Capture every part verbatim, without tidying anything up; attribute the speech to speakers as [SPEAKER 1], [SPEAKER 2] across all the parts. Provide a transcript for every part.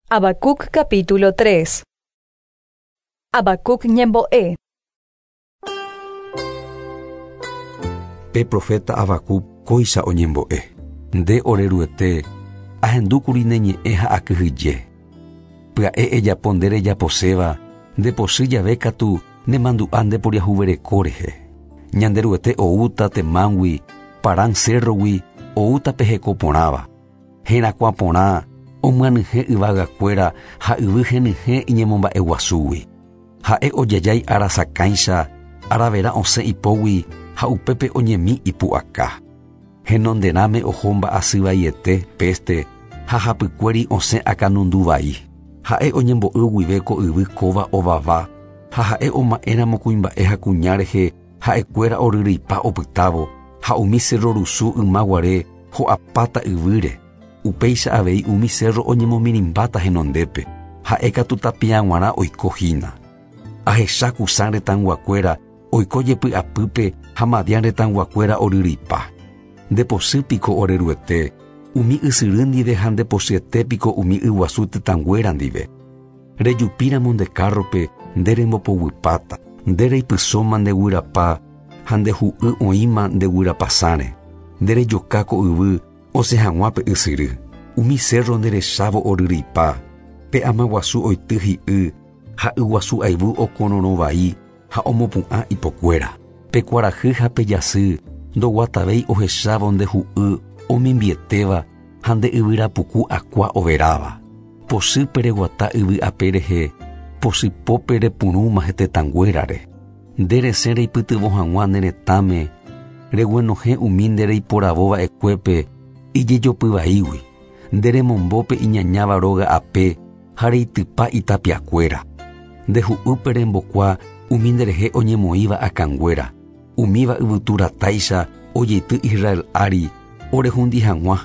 [SPEAKER 1] Habacuc capítulo tres. Habacuc ñembo'e.
[SPEAKER 2] Pe profeta Habacuc kóicha oñembo'e. Nde oreruete, ahendúkuri ne ñe'ẽ ha akyhyje. Pya'e ejapo nde rejaposéva, ndepochy jave katu nemandu'a ndeporiahuvereko rehe. Ñanderuete oúta Temángui, Parán cérrogui oúta pe heko porãva. Herakuã porã omyanyhẽ yvagakuéra ha yvy henyhẽ iñemomba'eguasúgui. Ha'e ojajái arasakãicha, aravera osẽ ipógui ha upépe oñemi ipu'aka. Henonderãme oho mba'asyvaiete peste ha hapykuéri osẽ akãnunduvai. Ha'e oñembo'y guive ko yvy kóva ovava ha ha'e oma'ẽramo kuimba'e ha kuña rehe ha'ekuéra oryryipa opytávo ha umi cerro rusu ymaguare ho'apáta yvýre. Upéicha avei umi cerro oñemomirĩmbáta henondépe, ha'e katu tapiag̃uarã oiko hína. Ahecha Cusán retãyguakuéra oiko jepy'apýpe ha Madián retãyguakuéra oryryipa. Ndepochýpiko oreruete, umi ysyry ndive ha ndepochyetépiko umi yguasu tetãnguéra ndive. Rejupíramo nde kárrope nde rembopoguýpata, nde reipysóma ndeguyrapa ha ndehu'y oĩma ndeguyrapasãre. Nde rejoka ko yvy osẽ hag̃ua pe ysyry. Umi cerro nderechávo oryryipa, pe amaguasu oity hi'y ha yguasu ayvu okororõvai ha omopu'ã ipokuéra. Pe kuarahy ha pe jasy ndoguatavéi ohechávo ndehu'y omimbietéva ha nde yvyrapuku akua overáva. Pochýpe reguata yvy ape rehe, pochypópe repurũma hetetãnguérare. Nde resẽ reipytyvõ hag̃ua ne retãme, reguenohẽ umi nde reiporavóva'ekuépe ijejopyvaígui. Nde remombópe iñañáva róga ape ha reitypa itapiakuéra. Ndehu'ýpe rembokua umi nderehe oñemoĩva akãnguéra, umíva yvyturatáicha ojeity Israel ári orehundi hag̃ua.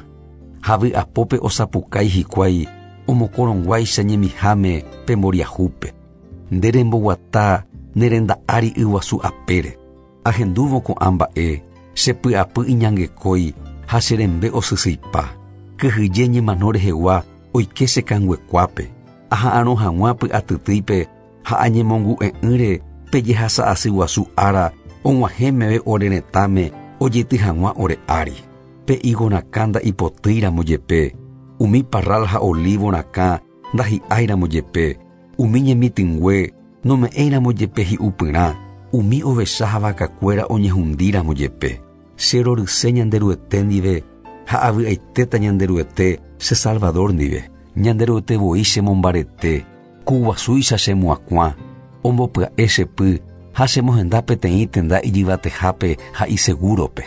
[SPEAKER 2] Ha vy'apópe osapukái hikuái omokorõnguáicha ñemiháme pe mboriahúpe. Nde remboguata ne renda ári yguasu apére. Ahendúvo ko'ã mba'e, chepy'apy iñangekói ha che rembe osysyipa. Kyhyje ñemano rehegua oike che kanguekuápe. Aha'arõ hag̃ua py'atytýipe ha añemongu'e'ỹre pe jehasa'asy guasu ára og̃uahẽ meve ore retãme ojeity hag̃ua ore ári. Pe higo rakã nda'ipotýiramo jepe, umi parral ha olivo rakã ndahi'áiramo jepe, umi ñemitỹngue nome'ẽiramo jepe hi'upyrã, umi ovecha ha vakakuéra oñehundíramo jepe. Che roryse Ñanderuete ndive ha avy'aitéta Ñanderuete che Salvador ndive. Ñanderuete voi chemombarete, kuguasúicha chemoakuã, ombopya'e che py ha chemohenda peteĩ tenda ijyvatehápe ha isegúrope.